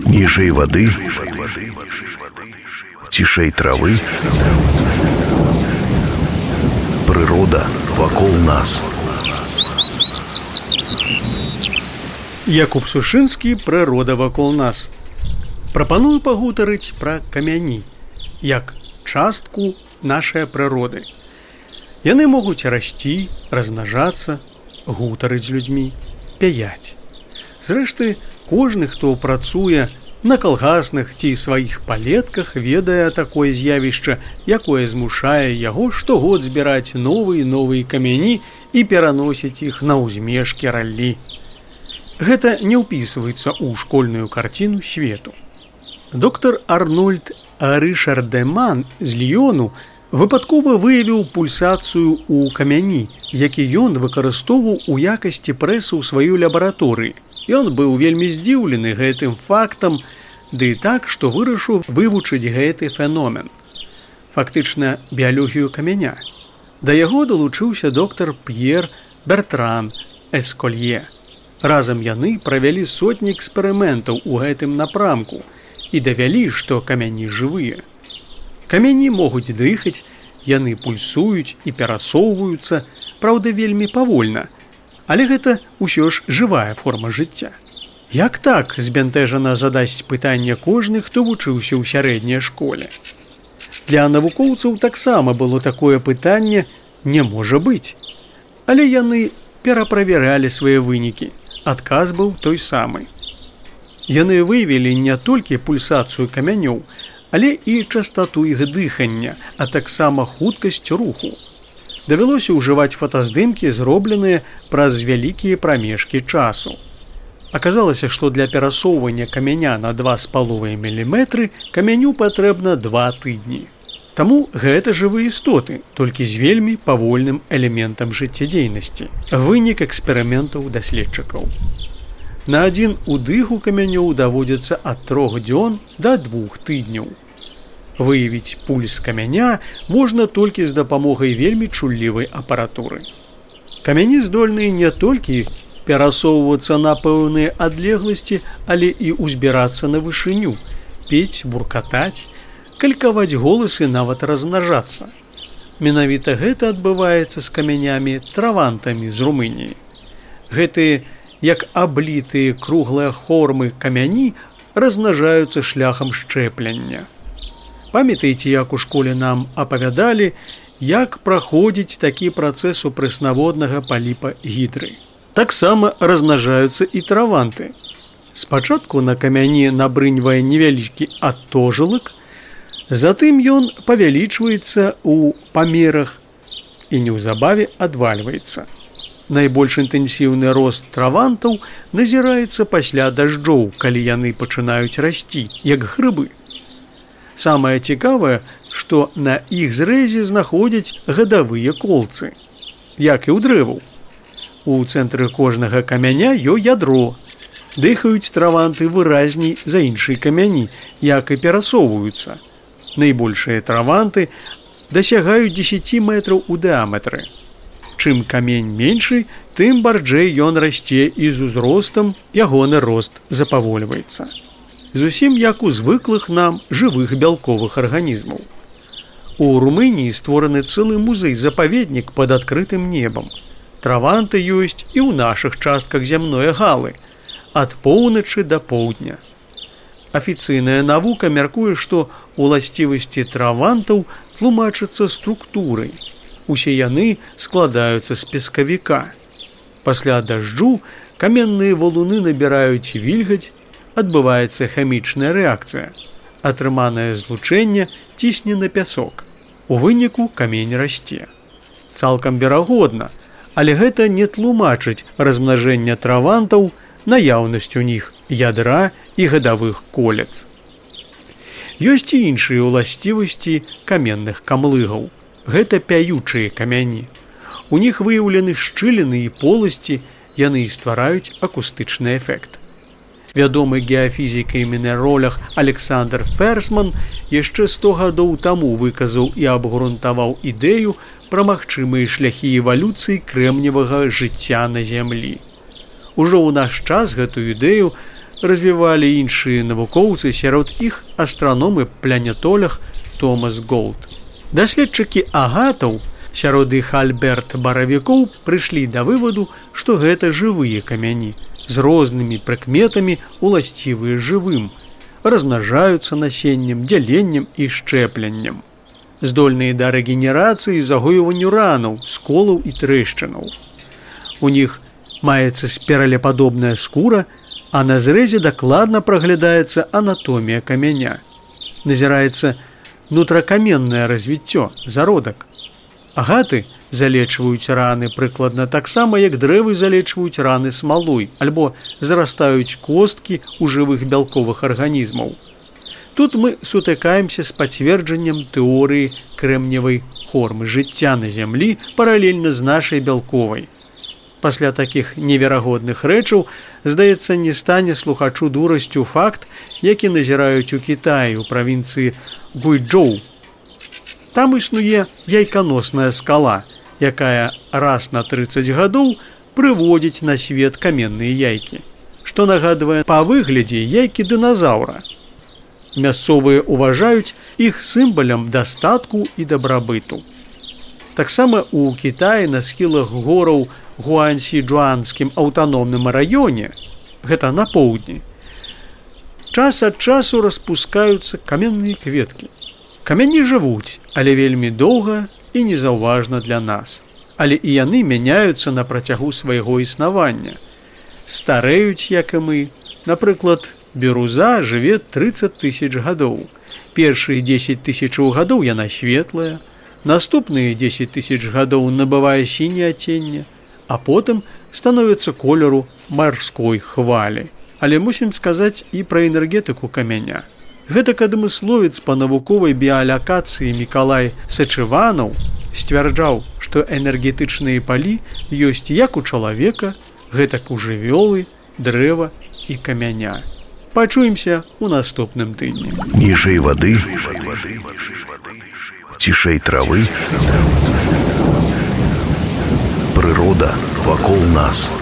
Ніжэй вады, цішэй травы, прырода вакол нас. Якуб Сушынскі «Прырода вакол нас». Прапаную пагутарыць пра камяні, як частку нашай прыроды. Яны могуць расці, размнажацца, гутарыць з людзьмі, пяяць. Зрэшты, кожны, хто працуе на калгасных ці сваіх палетках, ведае такое з'явішча, якое змушае яго штогод збіраць новыя камяні і пераносіць іх на ўзмежкі раллі. Гэта не ўпісваецца ў школьную карціну свету. Доктар Арнольд Рышардеман з Ліёну выпадкова выявіў пульсацыю ў камяні, які ён выкарыстоўваў у якасці прэсы ў сваёй лабараторыі. Ён быў вельмі здзіўлены гэтым фактам, ды так, што вырашыў вывучыць гэты феномен. Фактычна, біялогію камяня. Да яго далучыўся доктар П'ер Бертран Эсколье. Разам яны правялі сотні эксперыментаў у гэтым напрамку і давялі, што камяні жывыя. Камяні могуць дыхаць, яны пульсуюць і перасоўваюцца, праўда, вельмі павольна, але гэта ўсё ж жывая форма жыцця. Як так, збянтэжана задасць пытанне кожны, хто вучыўся ў сярэдняй школе. Для навукоўцаў таксама было такое пытанне «не можа быць». Але яны пераправяралі свае вынікі. Адказ быў той самы. Яны выявілі не толькі пульсацыю камянёў, але і частату іх дыхання, а таксама хуткасць руху. Давялося ўжываць фотаздымкі, зробленыя праз вялікія прамежкі часу. Аказалася, што для перасоўвання камяня на 2,5 мм камяню патрэбна 2 тыдні. Таму гэта жывыя істоты, толькі з вельмі павольным элементам жыццядзейнасці. Вынік эксперыментаў даследчыкаў. На адзін удых у камянёў даводзіцца ад 3 дзён да 2 тыдняў. Выявіць пульс камяня можна толькі з дапамогай вельмі чуллівай апаратуры. Камяні здольныя не толькі перасоўвацца на пэўныя адлегласці, але і ўзбірацца на вышыню, пець, буркатаць, калькаваць голасы, нават размнажацца. Менавіта гэта адбываецца з камянямі травантамі з Румыніі. Гэтыя, як аблітыя круглыя формы камяні, размнажаюцца шляхам шчэплення. Памятаеце, як у школе нам апавядалі, як праходзіць такі працэс у прэснаводнага паліпа гідры. Таксама размнажаюцца і траванты. Спачатку на камяні набрыньвае невялікі атожылак, затым ён павялічваецца ў памерах і неўзабаве адвальваецца. Найбольш інтэнсіўны рост травантаў назіраецца пасля дажджоў, калі яны пачынаюць расці, як грыбы. Самае цікавае, што на іх зрэзе знаходзяць гадавыя колцы, як і ў дрэваў. У цэнтры кожнага камяня ёсць ядро. Дыхаюць траванты выразней за іншыя камяні, як і перасоўваюцца. Найбольшыя траванты дасягаюць 10 метраў у дыаметры. Чым камень меншы, тым барджэй ён расце і з узростам ягоны рост запавольваецца. Зусім як у звыклых нам жывых бялковых арганізмаў. У Румыніі створаны цэлы музей-запаведнік пад адкрытым небам. Траванты ёсць і ў нашых частках зямной галы, ад поўначы да поўдня. Афіцыйная навука мяркуе, што уласцівасці травантаў тлумачацца структурай. Усе яны складаюцца з пескавіка. Пасля дажджу каменныя валуны набіраюць вільгаць, адбываецца хімічная рэакцыя. Атрыманае злучэнне цісне на пясок. У выніку камень расце. Цалкам верагодна, але гэта не тлумачыць размнажэння травантаў, наяўнасць у них ядра і гадавых колец. Ёсць і іншыя ўласцівасці каменных камлыгаў. Гэта пяючыя камяні. У них выяўлены шчыліны і поласці, яны і ствараюць акустычны эфект. Вядомы геафізік і мінеролог Александр Ферсман яшчэ 100 гадоў таму выказаў і абгрунтаваў ідэю пра магчымыя шляхі эвалюцыі крэмневага жыцця на зямлі. Ужо ў наш час гэтую ідэю развівалі іншыя навукоўцы, сярод іх астраном і планетолог Томас Голд. Даследчыкі агатаў, сярод іх Альберт Баравікоў, прыйшлі да вываду, што гэта жывыя камяні з рознымі прыкметамі, уласцівыя жывым, размнажаюцца насеннем, дзяленнем і шчэпленнем. Здольныя да рэгенерацыі і загоюванню ранаў, сколаў і трэшчынаў. У них маецца спіралепадобная скура, а на зрэзе дакладна праглядаецца анатомія камяня. Назіраецца нутракаменнае развіццё, зародак. Агаты залечваюць раны прыкладна таксама, як дрэвы залечваюць раны смалой, альбо зарастаюць косткі ў жывых бялковых арганізмаў. Тут мы сутыкаемся з пацверджаннем тэорыі крэмневай формы жыцця на зямлі паралельна з нашай бялковай. Пасля такіх неверагодных рэчаў, здаецца, не стане слухачу дурасцю факт, які назіраюць у Кітаі, у правінцыі Гуйчжоу. Там існуе яйканосная скала, якая раз на 30 гадоў прыводзіць на свет каменныя яйкі, што нагадвае па выглядзе яйкі дыназаўра. Мясцовыя ўважаюць іх сімвалам дастатку і дабрабыту. Таксама ў Кітаі на схілах гораў Гуансі-Джуанскім аўтаномным раёне, гэта на поўдні, час ад часу распускаюцца каменныя кветкі. Камяні жывуць, але вельмі доўга і незаўважна для нас. Але і яны мяняюцца на працягу свайго існавання. Старэюць, як і мы. Напрыклад, біруза жыве 30 000 гадоў. Першыя 10 000 гадоў яна светлая, наступныя 10 000 гадоў набывае сіняе адценне, а потым становіцца колеру марской хвалі. Але мусім сказаць і пра энергетыку камяня. Гэтак адмысловец па навуковай біялакацыі Мікалай Сачыванаў сцвярджаў, што энергетычныя палі ёсць як у чалавека, гэтак у жывёлы, дрэва і камяня. Пачуемся ў наступным тыдні. Ніжэй вады, цішэй травы, прырода вакол нас.